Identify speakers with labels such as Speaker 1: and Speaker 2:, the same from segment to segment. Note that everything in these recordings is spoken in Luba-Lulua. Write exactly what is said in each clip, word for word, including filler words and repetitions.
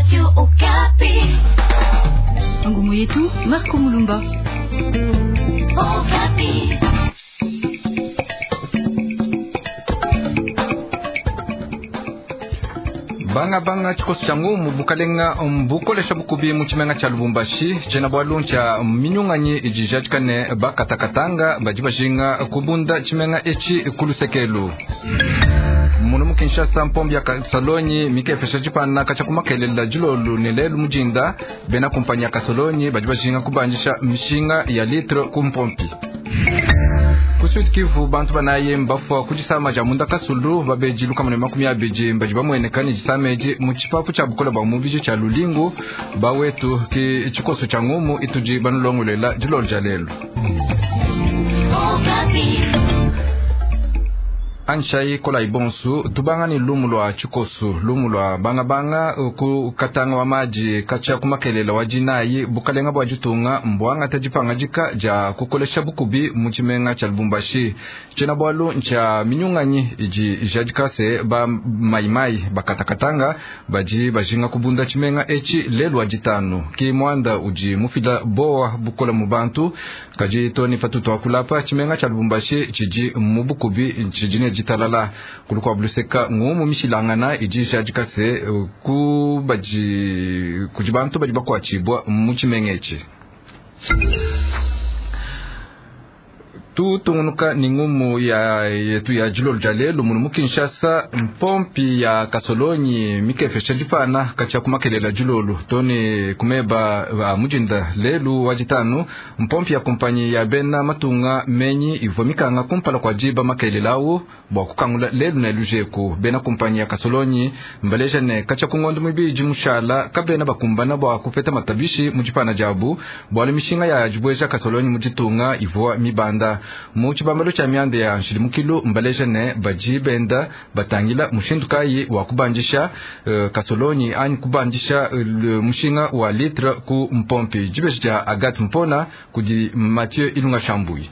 Speaker 1: Radio Okapi.
Speaker 2: Ngumu yetu Marco Mulumba.
Speaker 1: Okapi.
Speaker 3: Banga banga tshikoso tshia ngumu bukalenga mbukolesha bukubi mu tshimenga tshia Lubumbashi tshena bwalu tshia minyunganyi idi jadikane bakatakatanga badi bajinga kubunda tshimenga etshi kulusekelu. Munu mu Kinshasa mpombi ya Kasolonyi mikepesha tshipana katshia kumakelela dilolu ne lelu mujinda bena kumpanyi ya Kasolonyi badi bajinga kubanjisha mishinga ya litre ku mpompi. Ku Sud Kivu bantu banayi mbafua ku disama dia munda kasulu babeji lukamane makumi abidi badi bamueneka ne disama edi mu tshipapu tshia bukola bua mubidi tshia Lulingu bawetu ki tshikoso tshia ngumu itudi banulongolela dilolo dia lelu.
Speaker 1: Okapi.
Speaker 3: Anshai kola ibonsu tubanga ni lumu lwa tshikosu lumu lwa bangabanga ku katanga wa maji katshia kumakelela wa jinayi bukalenga bwa jitunga mbwanga tajipanga jika ja kukolesha bukubi mu tshimenga tshia Lubumbashi tshena bwalu ntshia minyunganyi idi jadikase ba maimai bakatakatanga baji bajinga kubunda tshimenga etshi lelu wa jitanu ki mwanda udi mufila bowa bukola mu bantu kaji toni fatutu akulapa tshimenga tshia Lubumbashi tshidi mu bukubi tshidi ne ditalala kulukwa buluseka ngumu mishilangana idi jadikase ku baji kudi bantu badi bakuatshibua mu tshimenga etshi. Tutungunuka ni ngumu ya yetu ya dilolo dia lelu munu mu Kinshasa mpompi ya Kasolonyi mikepesha dipana katshia kumakelela dilolo toni kumeba ba mujinda lelu wa ditanu mpompi ya kumpanyi ya bena matunga menyi ivua mikanga kumpala kwa diba makelela awu bua kukangula lelu ne lujeku bena kumpanyi ya Kasolonyi mbaleja ne katshia kungondo mibidi mushala kabena bakumbana bua kupeta matabishi mu dipana diabu bualu mishinga ya dibueja Kasolonyi mu ditunga ivua mibanda mu tshibambalo tshia mianda ya nshidimukilu mbaleja ne badi benda batangila mushindu kayi wa kubandisha uh, kasolonyi anyi kubandisha uh, mushinga wa litre ku mpompi. Dibeji dia Agathe Mpona kudi Mathieu Ilunga Shambui.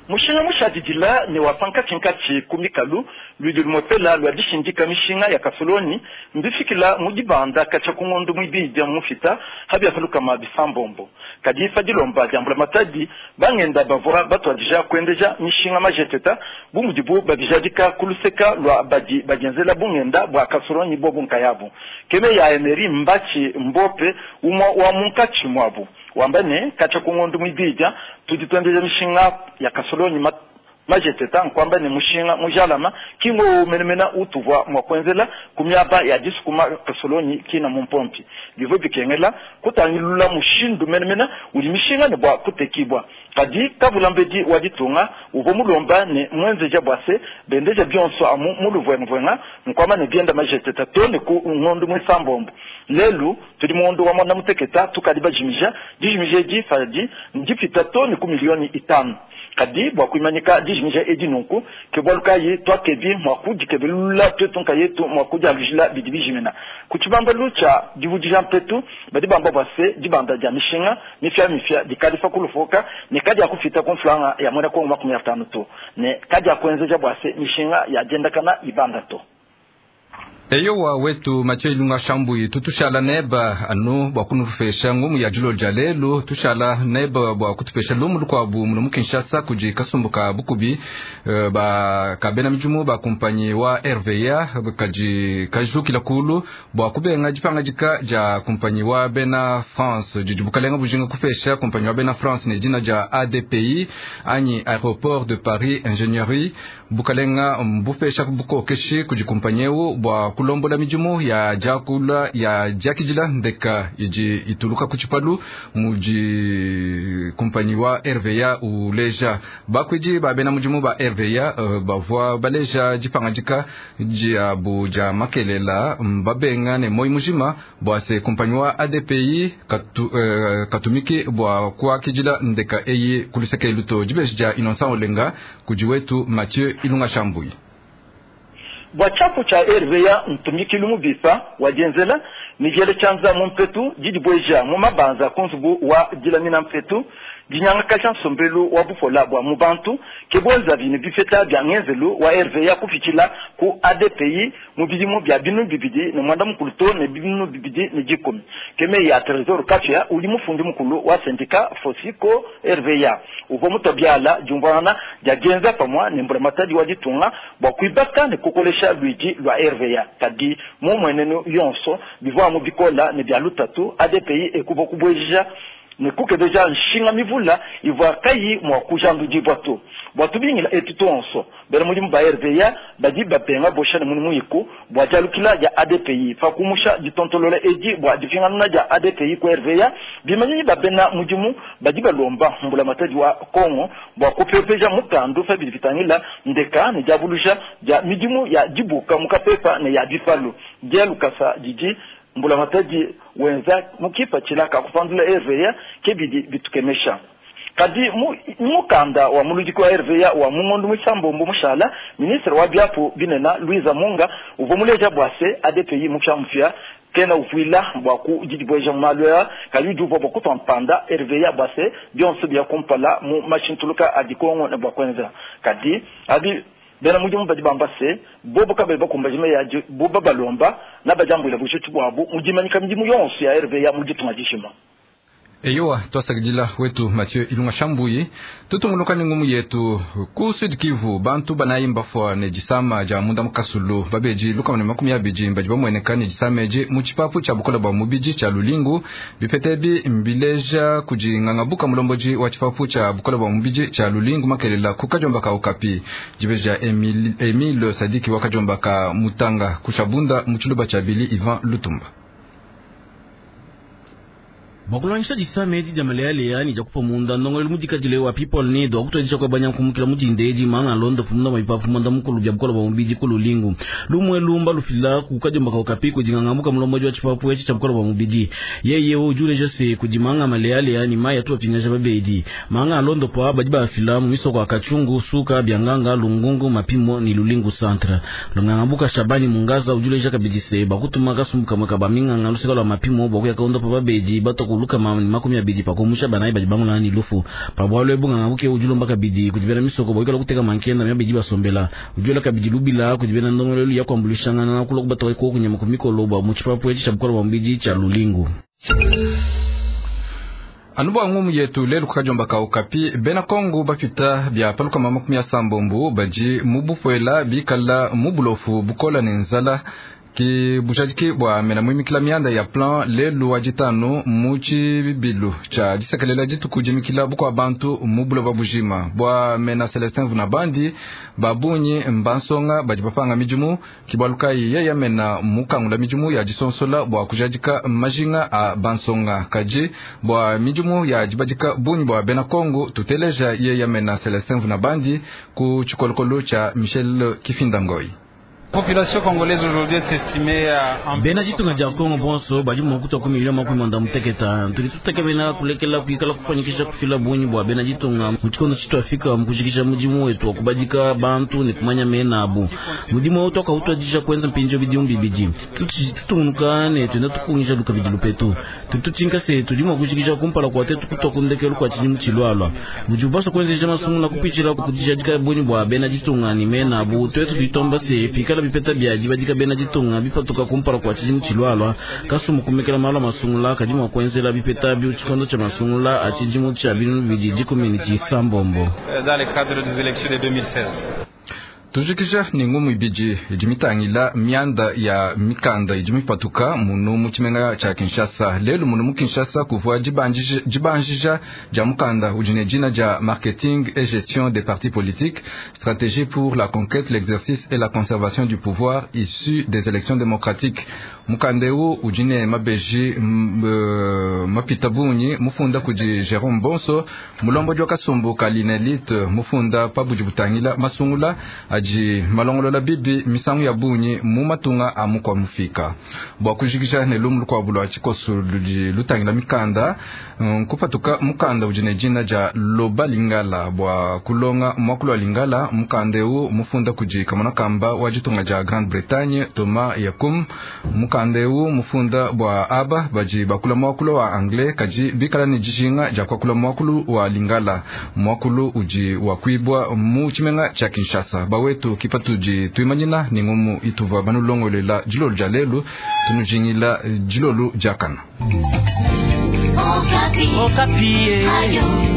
Speaker 4: Mushinga mushadidila ne wa pankatshinkatshi ku mikalu ludi lumwepela lwa dishindika mishinga ya kasolonyi mbifikila mu dibanda katshia ku ngondo muibidi mufita habiakalukama bisambombo kadi ifa dilomba dia mbulamatadi bangenda bavua batuadija kuendeja mishinga majeteta bu mudibu babijadika ku luseka lwa badi badienzela bungenda bua kasolonyi bobu nkayabu keme ya Emery Mbatshi Mbope umwa wa munkatshi mwabu wamba ne katshia ku ngondo muibidi tudi tuendeja mishinga ya kasolonyi majeteta nkwamba ne mushinga mujalama kingo menemena utuvwa mwakwenzela kumyaba ya disukuma kasolonyi kina mumpompi bivwe bikengela kutangilula mushindu menemena uli mishinga ne bwa kutekibwa kadi kavulambedi wa ditunga uvo mulomba ne mwenzeja bwase bendeja bionso amu muluvwenuvwenga nkwamba ne bienda majeteta to ne ku ngondo mwisambombo lelu tudi muondo wa mwana muteketa tukadi bajimija dijimija edi fadi ndipita to ne ku milioni itanu kadi bua kuimanyika dijimija edi nunku ke bualu kayi tuakebi mua kudikebelula tuetu nkayetu mua kudialujila bidi bijimina ku tshibambalu tshia divudija mpetu badi bamba bua se dibanda dia mishinga mifia mifia dikadi fa kulufuka ne kadi ya kufita ku mfulanga ya mwena kongo makumi atanu to ne kadi ya kuenzeja bua se mishinga ya diendakana ibanda to.
Speaker 3: Eyowa wetu Mathieu Ilunga Shambui tutushala neba anu bua kunufesha ngumu ya dilolo dia lelu tushala neba bua kutupesha lumu lukuabu muno mu Kinshasa kudi kasumbu ka bukubi uh, ba kabena midimu ba kumpanyi wa R V A kadi kajukila kulu bua kubenga dipangadika dia kumpanyi wa bena France didi bukalenga bujinga kupesha kumpanyi wa bena France ne dina dia A D P I anyi Aéroport de Paris Ingénierie bukalenga mbupesha bukokeshi kudi kumpanyi eu bua kulombola midimu ya diakula ya diakidila ndeka idi ituluka ku tshipalu mudi kumpanyi wa R V A uleja bakwidi ba bena mudimu ba R V A uh, bavua baleja dipangadika diabu dia makelela babenga ne moi mujima bua se kumpanyi wa A D P I katu, uh, katumiki bua kuakidila ndeka eyi kuluseke luto dibeji dia Innocent Olenga kudi wetu Mathieu Ilunga Shambui.
Speaker 4: Bua tshiapu tshia R V A ntumikilu mubisa wa dienzela ni diele tshianza mu mpetu didi bueja mu mabanza ku nzubu wa dilamina mpetu Dinyangakaja nsombelu wa bupola bua mu bantu ke bwenzavi ne bipeta bia ngenzelu wa R V A kupitshila ku A D P I mu bidimu bia binu bibidi ne mwanda mukulu to ne binu bibidi ne dikumi. Keme ya Trésor Kafia udi mufundi mukulu wa syndicat Fosiko R V A uvua mutobiala diumvuangana dia dienza pamua ne mbulamatadi wa ditunga bua kuibaka ne kukolesha lwidi lwa R V A. Kadi mu mwenenu yonso bivua mu bikola ne bia lutatu A D P I ekuvua kubweja ne kukebeja nshinga mivula ivua kayi mua kujandudibua to. Bua tubingila etu tonso bena mudimu ba R V A badi bapenga bosha ne mudimu iku bua dialukila dia A D P I pa kumusha ditontolola edi bua dipinganuna dia A D P I ku R V A bimanyinyi ba bena mudimu badi balomba mbulamatadi wa Kongo bua kupepeja mukandu pa bidi bitangila ndeka ne diabuluja dia midimu ya dibuka mu kapepa ne ya bipalu dia lukasa didi mbulamatadi wenza mukipatshila kakupandula R V A kebidi bitukemesha. Kadi mu mukanda wa muludiki wa R V A wa mungondo musambombo mushala ministre wa biapu binena Louisa Munga uvua muleja bua se A D P I mupya kena uvuila bua ku didibweja mu malu aya kadi udi uvua bua kutua mpanda R V A bua se bionso bia kumpala mu mashintuluka adi Kongo ne bua kuenza. Kadi abi bena mudimu badi bamba se bobo kabali bakumbaje meyi adi bobo balomba na badiambuila bujitu buabu mu dimanyika midimu yonso ya R V A mu ditunga dijima.
Speaker 3: Eyowa twasakidila wetu Mathieu Ilunga Shambuyi tutunguluka ni ngumu yetu ku Sud Kivu bantu banayi mbafwa ne disama dia munda mukasulu babeji lukama ne makumi abidi badi bamueneka ne disama edi mu tshipapu tshia bukola bua mubidi tshia Lulingu bipete mbileja kudi ngangabuka mulomboji wa tshipapu tshia bukola bua mubidi tshia Lulingu makelela ku kajomba ka Okapi dibeja Emile, Emile Sadiki wa kajomba ka Mutanga kushabunda mu tshiluba tshia Bili Ivan Lutumba.
Speaker 5: Bakulanyisha disama edi dia malealeya ni dia kupa munda ndongolelo mudikadile wa people need wakutwadisha kwa banya nkumukila mudinda edi manga londo fumunda maipapu munda mukulu bya bukola bwa mubidi ku Lulingu lumwe lumba lufila ku kajomba ka Okapi kudingangamuka mulomboji wa tshipapu etshi tshia bukola bwa mubidi yeye ujuleja se kudimanga malealeya ni maya tu apingaja babedi manga londo pa badi bafila mu misoko ya Kachungu Suka Byanganga Lungungu Mapimo ni Lulingu centre lungangamuka Shabani Mungaza ujuleja kabidi se bakutuma kasumbuka mwaka baminganga lusika lwa Mapimo bokuya kaondo pa babedi batokulu kama ni makumi abidi pakumusha banayi badi bangula ni lufu pabwalo ebunga ngabuke ujulomba kabidi kudibela misoko boikala kuteka mankenda mya bidi basombela ujula kabidi lubila kudibela ndongolelo ya kwambulishangana na kulokuba batoka ko kunyama kumikolo bwa mu tshipapu etshi tsha bukola bwa mubidi tsha Lulingu.
Speaker 3: Anubu ngumu yetu lelu kukajomba ka Okapi bena Kongo bapita bya paluka makumi asambombo badi mubupwela bikala mubulofu bukola ne nzala ki bujadiki bua mena muimikila mianda ya plan lelu wa ditanu mu tshibilu tshia disekelela dituku dimikila bukua bantu mu buloba bujima bua mena Celestin Vunabandi babunyi mbansonga badi bapanga midimu kibalukayi yeya mena mukangula midimu ya disonsola bua kujadika majinga a bansonga kadi bua midimu ya dibadika bunyi bua bena Kongo tuteleja yeya mena Celestin Vunabandi ku tshikolokolo tshia Michel Kifindangoi.
Speaker 6: Population congolaise aujourd'hui est estimée à
Speaker 5: bena ditunga dia Kongo bonso badi mua kutua ku miliyoni makumi manda muteketa tudi tutekemena kulekela kuikala kufanyikisha kufila bunyi bua bena ditunga mu tshikondo tshituafika mu kujikisha mudimu wetu wa kubadika bantu ne kumanya mena abu mudimu wetu wakautuadisha kuenza mpinjo bidimu bibidi tutungunuka ne tuenda tukungisha lukabidi lupetu tututshinka se tudi mua kujikisha kumpala kua tetu kutua kundekelu kua tshidimu tshilualua budi ubasha kuenzesha masungula kupitshila kudijadika bunyi bua bena ditunga ne mena abu tuetu tuitomba se pikala bipeta bya dibadika bena ditunga bipatuka kumpala kua tshidimu tshilualua kasumu kumekela malu a masungula kadi mua kuenzela bipeta bi tshikondo tshia masungula a tshidimu tshia binunu bibidi dikumi ne tshisambombo
Speaker 6: dans le cadre des élections de deux mille seize.
Speaker 3: Tujikisha ni ngumu ibidi idi mitangila mianda ya mikanda idi mipatuka munu mu tshimenga tshia Kinshasa lelu munu mu Kinshasa kuvua dibanjija dibanjija dia mukanda udi ne dina dia marketing et gestion des partis politiques stratégie pour la conquête l'exercice et la conservation du pouvoir issu des élections démocratiques mukanda eu udi ne mabeji mapita bunyi mufunda kudi Jérôme Bonso mulombo wa kasumbu ka Linelite mufunda pabudi butangila masungula aji malongolola bibi misangu ya bunyi mu matunga a mukwa mufika bua kujikisha ne lumu lukuabu lua tshikoso ludi lutangila mikanda kupatuka mukanda udi ne dina dia Loba Lingala bua kulonga muakulu wa Lingala mukanda eu mufunda kudi kamona kamba wa ditunga dia Grande-Bretagne Thomas Yakum. Mukanda eu mufunda bua aba badi bakula muakulu wa anglais kadi bikala ne dijinga dia kuakula muakulu wa lingala, muakulu udi wakuibua mu tshimenga tshia Kinshasa. Bawetu kipatudi tuimanyina ni ngumu ituva banulongolela dilolo dia lelu, tunujingila dilolo diakana.
Speaker 1: Okapi.
Speaker 7: Okapi.
Speaker 1: Ayo.